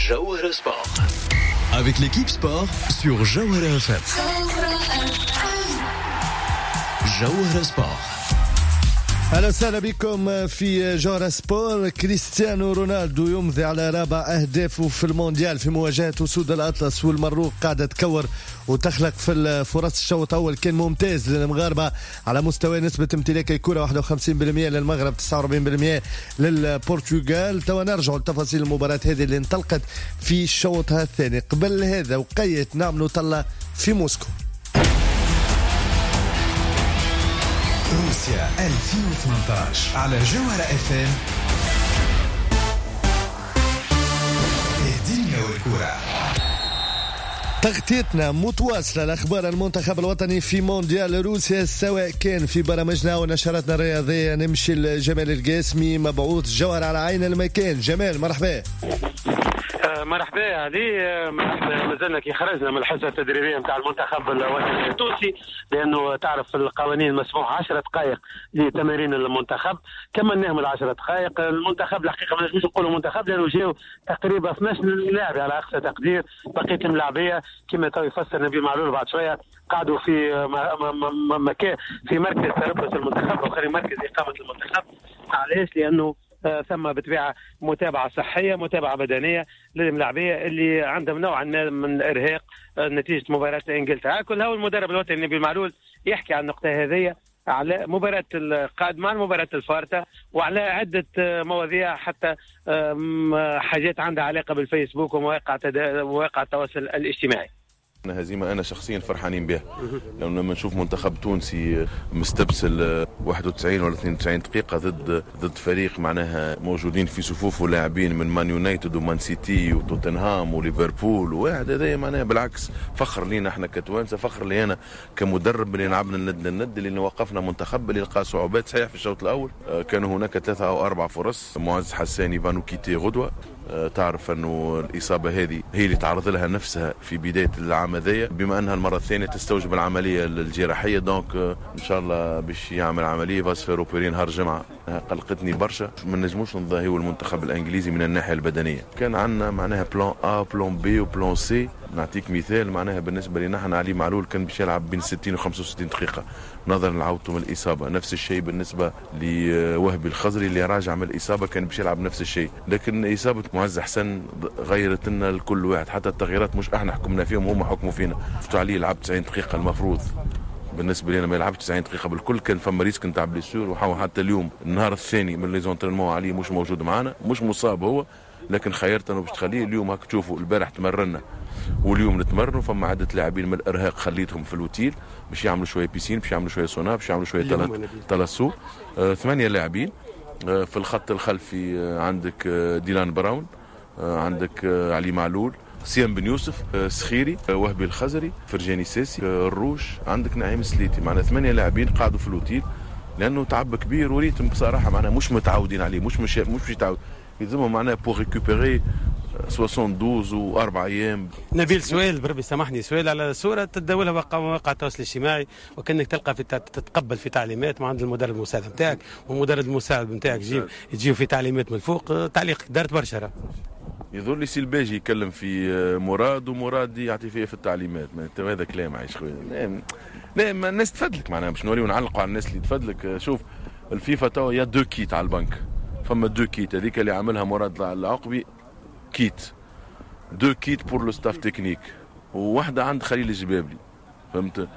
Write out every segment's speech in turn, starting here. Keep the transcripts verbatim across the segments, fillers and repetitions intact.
جوهرة Sport avec l'équipe sport sur جوهرة إف إم. جوهرة Sport. اهلا وسهلا بكم في جوهرة Sport. كريستيانو رونالدو يمضي على رابع اهدافه في المونديال في مواجهة اسود الاطلس، والمروك قاعدة تكور وتخلق في الفرص. الشوط الاول كان ممتاز للمغاربة على مستوى نسبه امتلاك الكره، واحد وخمسين بالمية للمغرب، تسعة وأربعين بالمية للبرتغال. توا نرجع لتفاصيل المباراة هذه اللي انطلقت في الشوط الثاني. قبل هذا وقيت نعملوا طلة في موسكو. روسيا ألفين وثمانية عشر على جوهرة اف ام، الدنيا والكرة. تغطيتنا متواصلة لأخبار المنتخب الوطني في مونديال روسيا، سواء كان في برامجنا ونشراتنا الرياضية. نمشي لجمال القاسمي، مبعوث جوهرة على عين المكان. جمال، مرحبا. آه، مرحبا علي، آه، مرحبا. مازلنا كي خرجنا من الحصة التدريبية نتاع المنتخب الوطني التونسي، لانه تعرف القوانين مسموح عشر دقائق لتمارين المنتخب. كملناهم العشر دقائق. المنتخب الحقيقة ما نجمش نقولوا منتخب، لانه جاو تقريبا اثناش لاعب على اقصى تقدير. بقية الملاعبيه كما تو يفسر نبيل معلول بعد شوية قعدوا في مكان في مركز تربص المنتخب او خلي مركز اقامه المنتخب. علاش؟ لانه آه، ثم بطبيعة متابعه صحيه، متابعه بدنية للملاعبيه اللي عندهم نوعا ما من الارهاق آه، نتيجة مباراة انجلترا. كل هو المدرب الوطني نبيل معلول يحكي عن النقطة هذه، على مباراة القادمة، المباراة الفارطة، وعلى عدة آه، مواضيع، حتى حاجات عندها علاقة بالفيسبوك ومواقع مواقع التواصل الاجتماعي. هزيمة أنا شخصيا فرحانين بها، لأنه لما نشوف منتخب تونسي مستبسل واحد وتسعين ولا اثنين وتسعين دقيقة ضد ضد فريق معناها موجودين في صفوفه لاعبين من مان يونايتد ومان سيتي وتوتنهام وليفربول وواحد، هذا معناها بالعكس فخر لينا احنا كتوانسة، فخر لي أنا كمدرب اللي لعبنا الند للند، اللي وقفنا منتخب اللي لقى صعوبات. صحيح في الشوط الأول آه، كانوا هناك ثلاثة أو أربع فرص. معز حساني va nous quitter غدوة. آه، تعرف انه الاصابة هذه هي اللي تعرض لها نفسها في بداية العام هذايا، بما انها المرة الثانية تستوجب العملية الجراحيه، donc آه، ان شاء الله باش يعمل عمليه، va se faire opérer نهار الجمعه. قلقتني برشا، ما نجموش نضاهيو المنتخب الانجليزي من الناحية البدنيه. كان عندنا معناها plan A، plan B و plan C. نعطيك مثال، معناها بالنسبة لنا احنا علي معلول كان باش يلعب بين ستين و خمسة وستين دقيقة نظرا لعودته من الاصابه. نفس الشيء بالنسبة لوهبي الخزري اللي راجع من الاصابه، كان باش يلعب نفس الشيء، لكن اصابه معز حسن غيرت لنا الكل واحد. حتى التغييرات مش احنا حكمنا فيهم، هم حكموا فينا. علي لعب تسعين دقيقه، المفروض بالنسبة لنا ما يلعبش تسعين دقيقة بالكل، كان فما risque نتاع blessure. وحتى اليوم النهار الثاني من les entraînements علي مش موجود معنا. مش مصاب هو، لكن خيرت انه باش تخليه اليوم. هاك تشوفوا البارح تمرنا واليوم نتمرنوا. فما عده لاعبين من الارهاق خليتهم في l'hôtel باش يعملوا شوية piscine، باش يعملوا شوية سونا، باش يعملوا شوية thalasso. آه ثمانية لاعبين آه في الخط الخلفي. آه عندك آه ديلان براون، آه عندك آه علي معلول، سيام بن يوسف، آه، سخيري، آه، وهبي الخزري، فرجاني ساسي، آه، الروش، عندك نعيم سليتي. معنا ثمانية لاعبين قعدوا في l'hôtel لانه تعب كبير و rythme بصراحة معناها مش متعودين عليه، مش مش مش يتعود، يلزمهم معناها pour récupérer اثنين وسبعين واربع ايام. نبيل، سؤال بربي سامحني، سؤال على صوره تداولها مواقع التواصل الاجتماعي، وكانك تلقى في تتقبل في تعليمات من عند المدرب المساعد نتاعك، والمدرب المساعد نتاعك تجيب تجيب في تعليمات من الفوق. تعليق دارت برشا. يظهر لي سي الباجي يكلم في مراد ومراد يعطي فيه في التعليمات. ما هذا كلام عايش خويا. لا لا، الناس تفدلك، معناها باش نوريو نعلقوا على الناس اللي تفدلك. شوف، الفيفا توا y a deux kits على البنك، فما deux kits. هذيك اللي عملها مراد العقبي kit، deux kits pour le staff technique، وواحدة عند خليل الجبابلي، فهمت؟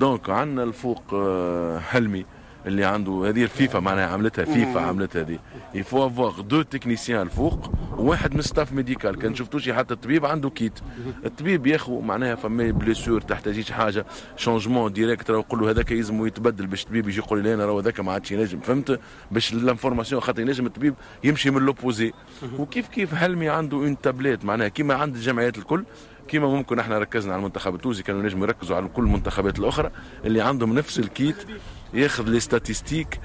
donc عندنا الفوق آه، حلمي اللي عنده هذه الفيفا، معناها عملتها فيفا، عملتها هذه. il faut avoir deux techniciens الفوق وواحد من staff médical. كان شفتوش حتى الطبيب عنده kit، الطبيب ياخذ معناها فما blessure، تحتاجيش حاجة changement direct، راه يقول له هذاك يلزم يتبدل، باش الطبيب يجي يقول لي انا راه هذاك ما عادش ينجم، فهمت؟ باش l'information، خاطر ينجم الطبيب يمشي من l'opposé. وكيف كيف حلمي عنده une tablette، معناها كيما عند الجمعيات الكل. كيما ممكن احنا ركزنا على المنتخب التونسي، كانوا نجموا يركزوا على كل المنتخبات الاخرى اللي عندهم نفس ال kit، ياخذ les statistiques.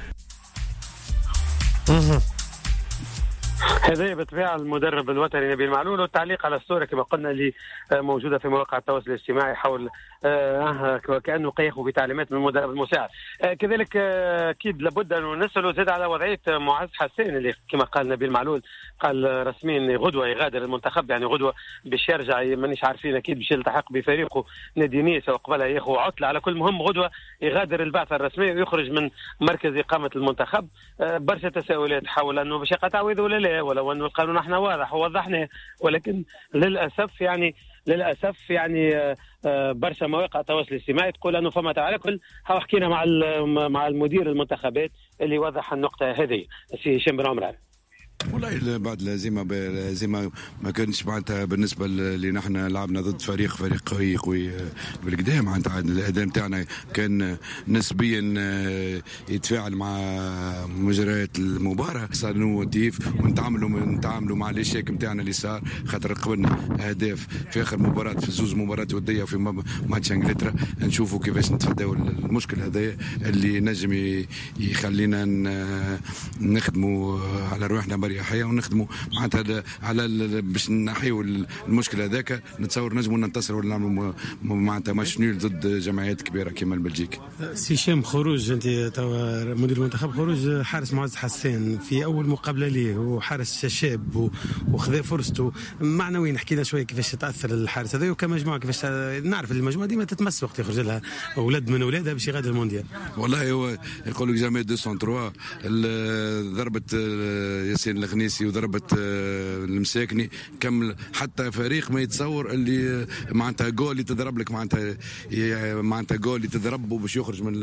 هذا بالطبيعة المدرب الوطني نبيل معلول. والتعليق على الصورة كما قلنا اللي موجودة في مواقع التواصل الاجتماعي حول آه كانه قيخوا بتعليمات من المدرب المساعد. آه كذلك اكيد لابد ان نسالوا زاد على وضعية معز حسين اللي كما قال نبيل معلول قال رسميا غدوه يغادر المنتخب، يعني غدوه باش يرجع، مانيش عارفين اكيد باش يلتحق بفريقه نادي نيس وقبلها ياخذ عطله. على كل مهم غدوه يغادر البعثة الرسمية ويخرج من مركز اقامه المنتخب. آه برشا تساؤلات حول انه باش يقع تعويض ولا لا، ولو انه القانون احنا واضح ووضحناه، ولكن للاسف يعني للاسف يعني برشا مواقع التواصل الاجتماعي تقول انه فما. على كل حكينا مع مع المدير المنتخبات اللي وضح النقطة هذه السي هشام بن عمران. والله بعد الهزيمة الهزيمة ما كانش معناتها بالنسبة اللي نحن لعبنا ضد فريق فريق قوي قوي بالقدام، معناتها الاداء نتاعنا كان نسبيا يتفاعل مع مجريات المباراة، صار نوتيف ونتعاملوا نتعاملوا مع l'échec نتاعنا اللي صار، خاطر قبلنا اهداف في اخر مباراة في زوز مباريات وديه في ماتش انجلترا، نشوفوا كيفاش نتفاداو المشكل هذا اللي نجم يخلينا نخدموا على روحنا بريحيه ونخدموا معناتها على باش نحيوا المشكل هذاك. نتصور نجموا ننتصروا ولا نعملوا معناتها match nul ضد جمعيات كبيرة كيما البلجيك. سي هشام، خروج انت توا مدير المنتخب، خروج حارس معز حسين في اول مقابله ليه، وحارس شاب وخذا فرصته معنويا، نحكي لنا شوية كيفاش تاثر الحارس هذا وكمجموعه، كيفاش نعرف المجموعة ديما تتمس وقت يخرج لها اولاد من اولادها باش يغادر المونديال. والله هو يقول لك jamais deux sans trois، ضربه ياسين الخنيسي وضربه المساكني كمل، حتى فريق ما يتصور اللي معناتها جول اللي تضرب لك معناتها معناتها جول اللي تضربه باش يخرج من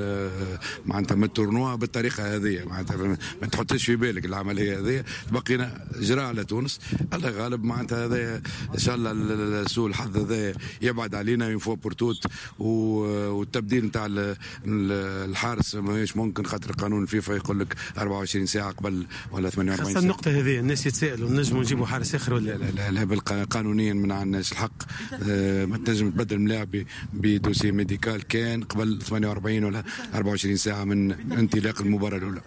معناتها من ال tournoi بالطريقة هذه، معناتها ما تحطش في بالك العملية هذه. بقينا جرى على تونس، الله غالب معناتها هذا ان شاء الله سوء الحظ هذا يبعد علينا une fois pour toutes، والتبديل نتاع الحارس ماهيش ممكن خاطر قانون الفيفا يقول لك أربعة وعشرين ساعة قبل ولا ثمانية وأربعين ساعة. النقطة هذه الناس يتسائلوا نجموا نجيبوا حارس اخر ولا لا؟ لا, لا قانونيا ما عندناش الحق، ما تنجم تبدل ملاعب ب dossier médical كان قبل ثمانية وأربعين ولا أربعة وعشرين ساعة من انطلاق المباراة الاولى.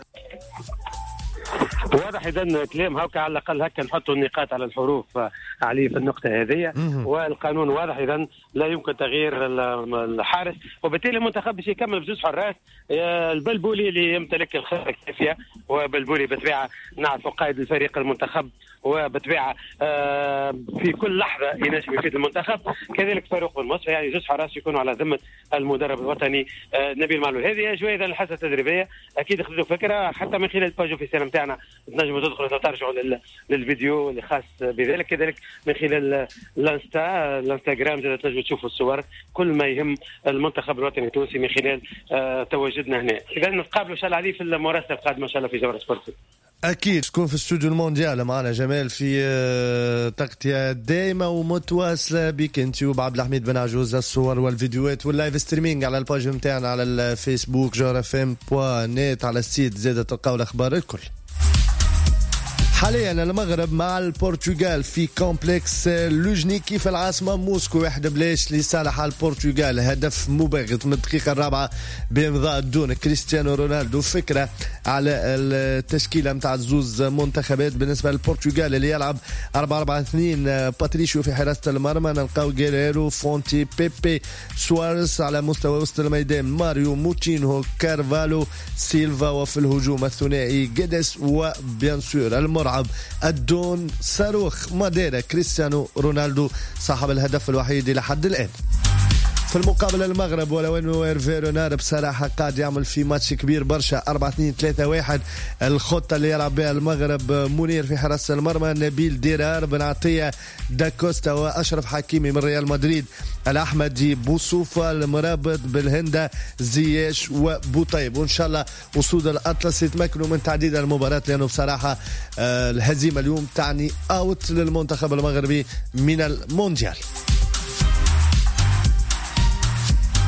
واضح اذا كلام هكا، على الاقل هكا نحطوا النقاط على الحروف عليه في النقطة هذه، والقانون واضح اذا لا يمكن تغيير الحارس، وبالتالي المنتخب باش يكمل بزوج حراس، البلبولي اللي يمتلك الخبرة الكافيه، وبلبولي بالطبيعة نعرفوا قائد الفريق المنتخب، وبالطبيعه في كل لحظة ينجم يفيد المنتخب، كذلك فاروق بن مصطفى، يعني زوج حراس يكونوا على ذمه المدرب الوطني نبيل معلول. هذه اجواء اذا الحصة التدريبية، اكيد خذوا فكرة حتى من خلال ال page officielle نتاعنا تنجموا تدخلوا ترجعوا للفيديو اللي خاص بذلك، كذلك من خلال الانستا الانستغرام زاد تنجموا تشوفوا الصور، كل ما يهم المنتخب الوطني التونسي من خلال تواجدنا هنا. اذا نتقابلوا ان شاء الله عليه في المراسله القادمة ان شاء الله في جوهرة سبورت. أكيد تكون في استوديو المونديال معنا جمال في تغطية دائمة ومتواصلة بك أنت وبعبد الحميد بن عجوز، الصور والفيديوهات وال live streaming على ال page نتاعنا على الفيسبوك جوهرة اف ام point net، على ال site زادة تلقاو الأخبار الكل. حاليا المغرب مع البرتغال في complexe لوجنيكي في العاصمة موسكو، واحد بلاش لصالح البرتغال، هدف مباغت من الدقيقة الرابعة بإمضاء دون كريستيانو رونالدو. فكرة على التشكيلة متاع زوز منتخبات، بالنسبة للبرتغال اللي يلعب أربعة أربعة اثنين، باتريشيو في حراسة المرمى، نلقاو غيريرو، فونتي، بيبي، سواريز على مستوى وسط الميدان، ماريو، موتينهو، كارفالو، سيلفا، وفي الهجوم الثنائي جيدس و bien sûr المرعب الدون صاروخ ماديرا كريستيانو رونالدو صاحب الهدف الوحيد إلى حد الآن. في المقابل المغرب ولو انه ايرفي رونار بصراحة قاعد يعمل في ماتش كبير برشا، أربعة اثنين ثلاثة واحد الخطة اللي يلعب بها المغرب، منير في حراسة المرمى، نبيل ديرار، بن عطية، داكوستا واشرف حكيمي من ريال مدريد، الاحمدي، بوصوفه، المرابط، بالهنده، زياش وبوطيب. وان شاء الله اسود الاطلس يتمكنوا من تعديل المباراة، لانه بصراحة الهزيمة اليوم تعني out للمنتخب المغربي من المونديال.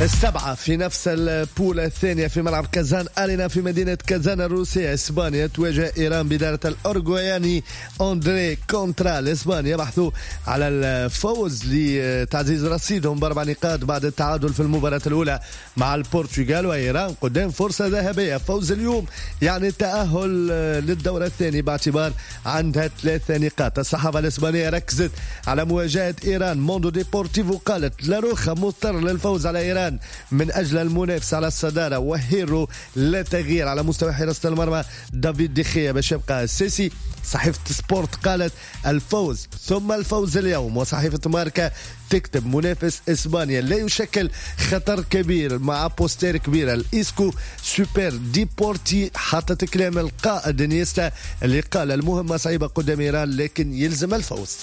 السبعة في نفس ال poule الثانية في ملعب كازان أرينا في مدينة كازان الروسية، إسبانيا تواجه إيران بإدارة الأورجواياني أندري كونترا. الإسبان يبحثوا على الفوز لتعزيز رصيدهم بأربع نقاط بعد التعادل في المباراة الأولى مع البرتغال، وإيران قدام فرصة ذهبية، فوز اليوم يعني التأهل للدور الثاني باعتبار عندها ثلاث نقاط. الصحافة الإسبانية ركزت على مواجهة إيران، موندو ديبورتيفو قالت لاروخا مضطر للفوز على إيران من أجل المنافسة على الصدارة، وهيرو لا تغيير على مستوى حراسة المرمى دافيد ديخيا باش يبقى السيسي. صحيفة سبورت قالت الفوز ثم الفوز اليوم، وصحيفة ماركا تكتب منافس إسبانيا لا يشكل خطر كبير مع بوستير كبيرة. الإسكو سوبر ديبورتي حطت كلام القائد نيستا اللي قال المهمة صعيبة قدام إيران لكن يلزم الفوز.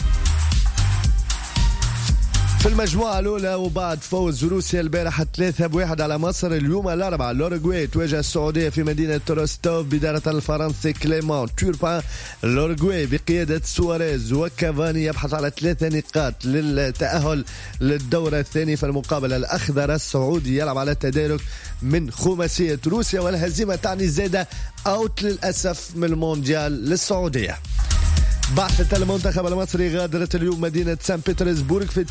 في المجموعة الأولى وبعد فوز روسيا البارحة ثلاثة بواحد على مصر، اليوم الأربعاء الأوروغواي تواجه السعودية في مدينة روستوف بإدارة الفرنسي كليمون توربان. الأوروغواي بقيادة سواريز وكافاني يبحث على ثلاثة نقاط للتأهل للدور الثاني في المقابلة. الأخضر السعودي يلعب على التدارك من خماسية روسيا، والهزيمة تعني زادة out للأسف من المونديال للسعودية. بعثة المنتخب المصري غادرت اليوم مدينة سان بطرسبورغ في